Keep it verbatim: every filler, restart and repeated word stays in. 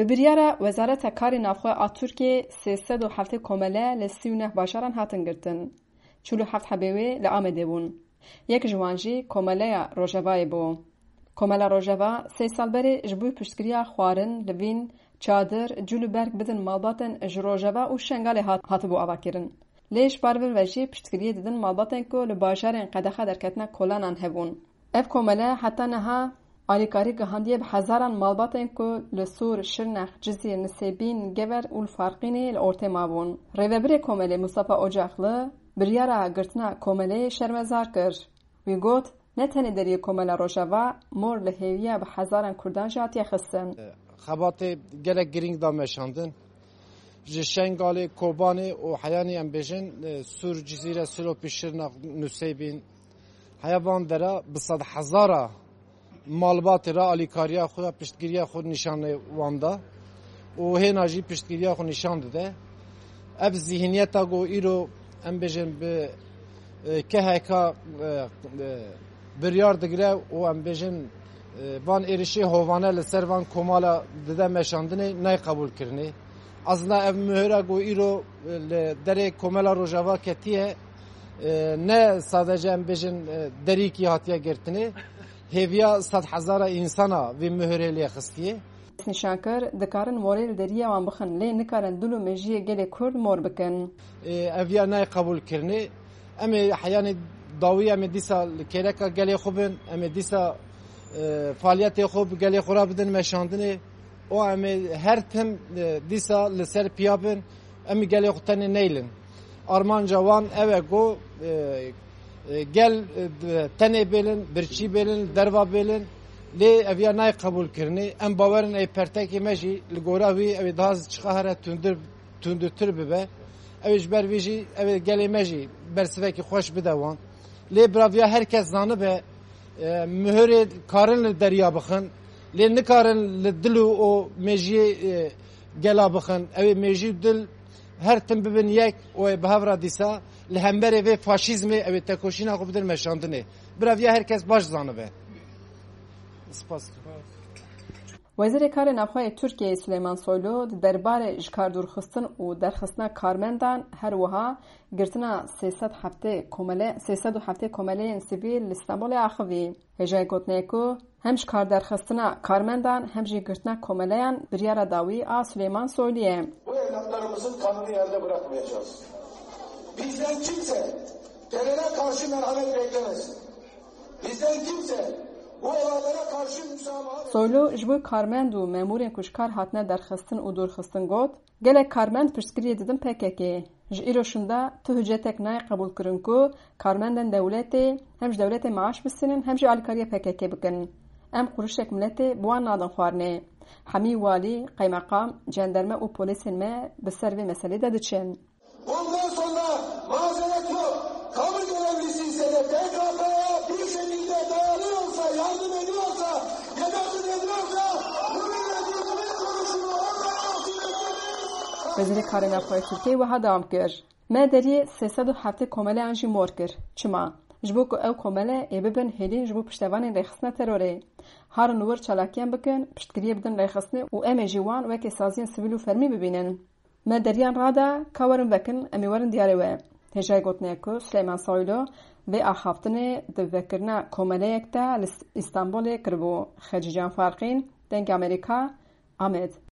Bi biryara Wezareta Karê Navxwe a Tirkiyê sê sed û heftê komele li sî û neh bajaran hatin girtin. Çil û heft hebê wê li Amedê bûn. Yek ji wan jî Komeleya Rojavayê bû. Komela Rojava sê sal berê ji bo piştgiriya xwarin, livîn, çadir, cûl û berg bidin malbatên ji Rojava û Şengalê hat, hatibû avakirin. Lê ji bar vir ve jî piştgiriyê didin malbatên ku li bajarên qedexa derketina kolanan hebûn. Ev komele heta niha alîkarî gihandiye bi hezaran malbatên ku li Sûr, Şirnex, Cizîr, Nisêbîn, Gever û li Farqînê li ortê mabûn. Rêvebirê komelê Mustafa Ocaklı biryara girtina komeleyê şermezar kir. Wî got, ne tenê deriyê Komela Rojava, mor li hêviya bi hezaran Kurdan jî hatiye xistin. Xebatê gelek girîng da meşandin. Ji Şengalê, Kobanê û heyanî em bêjin, e, Sûr, Cizîre, Silopî, Şirnex, Nusêbîn, heya van dera bi sed hezara malbatê re alîkariya xwe ya piştgiriya xwe nîşanê wan da û hêna jî piştgiriya xwe nîşan dide. Ev zîhniyeta ku îro em bêjin bi, e, K H K, e, e, biryar digire û em bêjin, e, van êrişê hovane li ser van komala dide meşandinê nayê qebûlkirinê. Aslında ev mihira ku îro, e, li derê Komela Rojava ketiye, e, ne sadece em bêjin, e, derîkî hatiye girtinê, hêviya sed hezara însana vê mihirê lê xistiye. Nîşan kir, dikarin morê li deriyê wan bixin, lê nikarin dil û mejiyê gelê Kurd mor bikin. E, ev ya nayê qebûlkirinê. Em ê heyanê dawî em ê dîsa li kêleka gelê xwe bin, em ê dîsa, e, faaliyetê xwe bi gelê xwe re bidin meşandinê. Û em ê her tim, e, dîsa li ser piya bin, em ê gelê xwe tenê neylin. Armanca wan ew e ku, e, e, gel, e, tenê bêlin, birçî bêlin, derva bêlin, lê ev ya nayê qebûlkirinê. Em bawerin ê pertekê me jî li gora wî ew ê daha çiqa here tundir, tundurtir bibe. Ew ê ji ber vê jî ew ê gelê me jî bersivekî xweş bide wan. Lê biraviya her kes zanibe, e, mihirê karin li deriya bixin, lê nikarin li dil û, û mêjiyê, e, gela bixin. Ew ê mêjî û dil her tim bibin yek û ê bi hev re dîsa li hemberê vê faşîzmê ew ê tekoşîna xwe bidin meşandinê. Bira viya her kes baş zanibe. Spas. Wezîrê Karê Navxwe yê Tirkiyeyê Suleyman Soylu di derbarê ji kar dûrxistin û derxistina karmendan, her wiha girtina sê sed heftê komele-, sê sed û heftê komeleyên sivîl li Stenbolê axivî. Hêjayî gotinê ku hem ji kar derxistina karmendan hem jî girtina komeleyan biryara dawî a Suleyman Soylu ye. Bu evlatlarımızın kanını yerde bırakmayacağız. Bizden kimse teröre karşı merhamet beklemesin. Bizden kimse bu olaylara karşı müsamaha... Soylu ji bo karmend û memûrên ku ji kar hatine derxistin û dûrxistin got, gelek karmend piştgiriyê didin P K K. Ji îro şûnda tu hicretek nayê qebûlkirin ku karmendên dewletê hem ji dewletê maaş bistînin hem jî alîkariya P K K bikin. Em qurişek miletê bi wan nadin xwarinê. Hemî walî, qeymeqam, cenderme û polîsên me bi ser vê meselê de diçin. Bundan sonra mazeret yok. Kamu görevlisi ise de P K K'ya bir şekilde dayanıyorsa, yardım ediyorsa, yardımcı ediyorsa, bu milletin konusunu orada Wezîrê Karê Navxwe yê Tirkiyeyê wiha dewam kir, me deriyê sê sed û heftê komeleyan jî mor kir. Çima? Ji bo ku ew komele ê bibin hêlîn ji bo piştevanên rêxistina terorê. Harin wir çalakiyan bikin, piştgiriyê bidin rêxistinê û em ê jî wan weke saziyên sivîl û fermî bibînin. Me deriyan rada ka werin vekin, em ê werin diyarê we. Hêjayî gotinê ku Suleyman Soylu vê axaftinê di vekirina komeleyek de li Îstanbulê kiribû. Xecîcan Farqîn, Dengê Amerîka, Amed.